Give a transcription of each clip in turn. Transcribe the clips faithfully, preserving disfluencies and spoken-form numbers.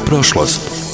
prošlost.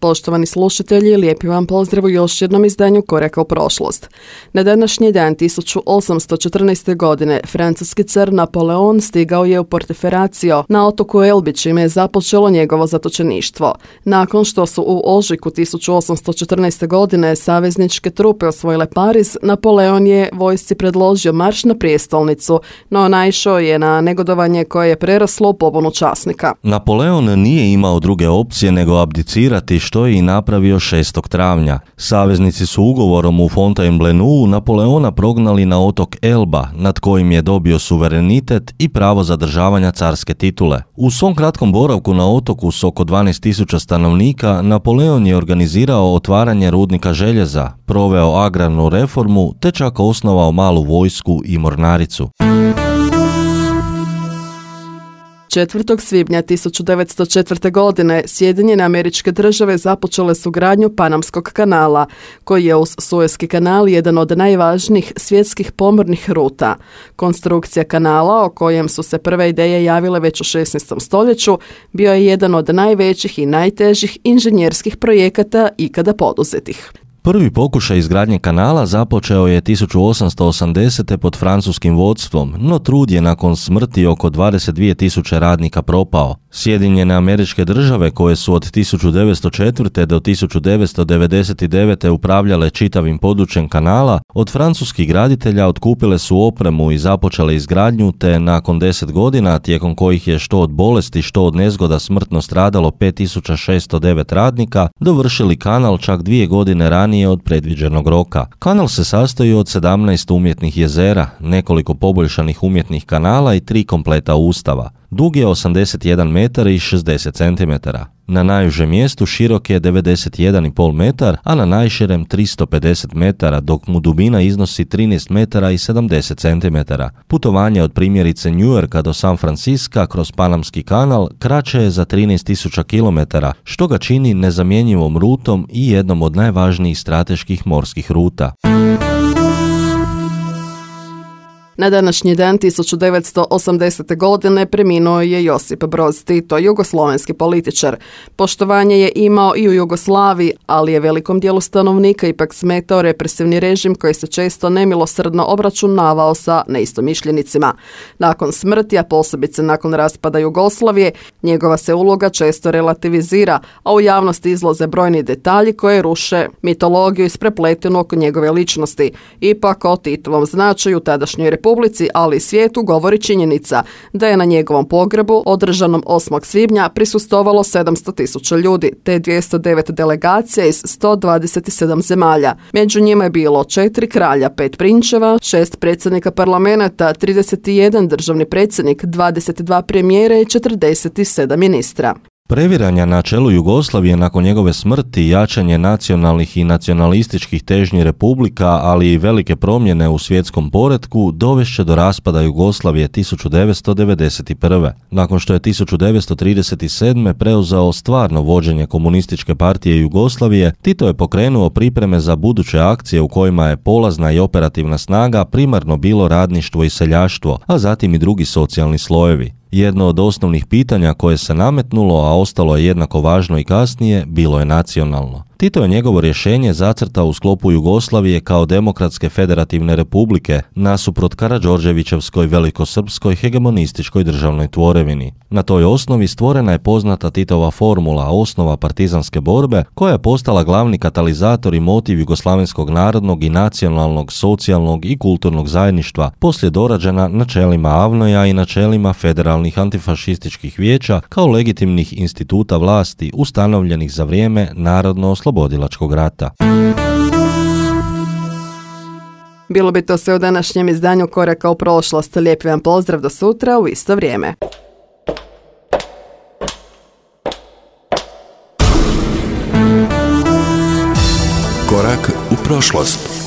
Poštovani slušatelji, lijepi vam pozdrav u još jednom izdanju Koraka u prošlost. Na današnji dan tisuću osamsto četrnaeste. godine francuski car Napoleon stigao je u Portoferracio na otoku Elbi, čime je započelo njegovo zatočeništvo. Nakon što su u ožujku tisuću osamsto četrnaeste. godine savezničke trupe osvojile Pariz, Napoleon je vojsci predložio marš na prijestolnicu, no naišao je na negodovanje koje je preraslo u pobunu časnika. Napoleon nije imao druge opcije nego abdicirati, što je i napravio šestog travnja. Saveznici su ugovorom u Fontainebleau Napoleona prognali na otok Elba, nad kojim je dobio suverenitet i pravo zadržavanja carske titule. U svom kratkom boravku na otoku s oko dvanaest tisuća stanovnika, Napoleon je organizirao otvaranje rudnika željeza, proveo agrarnu reformu te čak osnovao malu vojsku i mornaricu. četvrtog svibnja tisuću devetsto četvrte. godine Sjedinjene Američke Države započele su gradnju Panamskog kanala, koji je uz Suezki kanal jedan od najvažnijih svjetskih pomornih ruta. Konstrukcija kanala, o kojem su se prve ideje javile već u šesnaestom stoljeću, bio je jedan od najvećih i najtežih inženjerskih projekata ikada poduzetih. Prvi pokušaj izgradnje kanala započeo je tisuću osamsto osamdesete. pod francuskim vodstvom, no trud je nakon smrti oko dvadeset dvije tisuće radnika propao. Sjedinjene Američke Države, koje su od tisuću devetsto četvrte. do tisuću devetsto devedeset devete. upravljale čitavim područjem kanala, od francuskih graditelja otkupile su opremu i započele izgradnju, te nakon deset godina, tijekom kojih je što od bolesti, što od nezgoda smrtno stradalo pet tisuća šesto devet radnika, dovršili kanal čak dvije godine ranije od predviđenog roka. Kanal se sastoji od sedamnaest umjetnih jezera, nekoliko poboljšanih umjetnih kanala i tri kompleta ustava. Dug je osamdeset jedan metar i šezdeset centimetara. Na najužem mjestu širok je devedeset jedan i pol metar, a na najširem tristo pedeset metara, dok mu dubina iznosi trinaest metara i sedamdeset centimetara. Putovanje od primjerice Njujorka do San Francisca kroz Panamski kanal kraće je za trinaest tisuća kilometara, što ga čini nezamjenjivom rutom i jednom od najvažnijih strateških morskih ruta. Na današnji dan tisuću devetsto osamdesete. godine preminuo je Josip Broz Tito, jugoslovenski političar. Poštovanje je imao i u Jugoslaviji, ali je velikom dijelu stanovnika ipak smetao represivni režim koji se često nemilosrdno obračunavao sa neistomišljenicima. Nakon smrti, a posebice nakon raspada Jugoslavije, njegova se uloga često relativizira, a u javnosti izlaze brojni detalji koje ruše mitologiju isprepletenu oko njegove ličnosti. Ipak o Titovom značaju tadašnjoj republici, ali i svijetu govori činjenica da je na njegovom pogrebu održanom osmog svibnja prisustvovalo sedamsto tisuća ljudi, te dvjesto devet delegacija iz sto dvadeset sedam zemalja. Među njima je bilo četiri kralja, pet prinčeva, šest predsjednika parlamenta, trideset jedan državni predsjednik, dvadeset dva premijera i četrdeset sedam ministra. Previranja na čelu Jugoslavije nakon njegove smrti, jačanje nacionalnih i nacionalističkih težnji republika, ali i velike promjene u svjetskom poretku dovešće do raspada Jugoslavije tisuću devetsto devedeset prve. Nakon što je tisuću devetsto trideset sedme. preuzeo stvarno vođenje komunističke partije Jugoslavije, Tito je pokrenuo pripreme za buduće akcije u kojima je polazna i operativna snaga primarno bilo radništvo i seljaštvo, a zatim i drugi socijalni slojevi. Jedno od osnovnih pitanja koje se nametnulo, a ostalo je jednako važno i kasnije, bilo je nacionalno. Tito je njegovo rješenje zacrtao u sklopu Jugoslavije kao demokratske federativne republike nasuprot Karađorđevićevskoj velikosrpskoj hegemonističkoj državnoj tvorevini. Na toj osnovi stvorena je poznata Titova formula, osnova partizanske borbe, koja je postala glavni katalizator i motiv jugoslavenskog narodnog i nacionalnog, socijalnog i kulturnog zajedništva, poslije dorađena načelima Avnoja i načelima federalnih antifašističkih vijeća kao legitimnih instituta vlasti ustanovljenih za vrijeme narodno oslobodilačkog rata. Bilo bi to sve u današnjem izdanju Koraka u prošlost. Lijepi vam pozdrav do sutra u isto vrijeme. Korak u prošlost.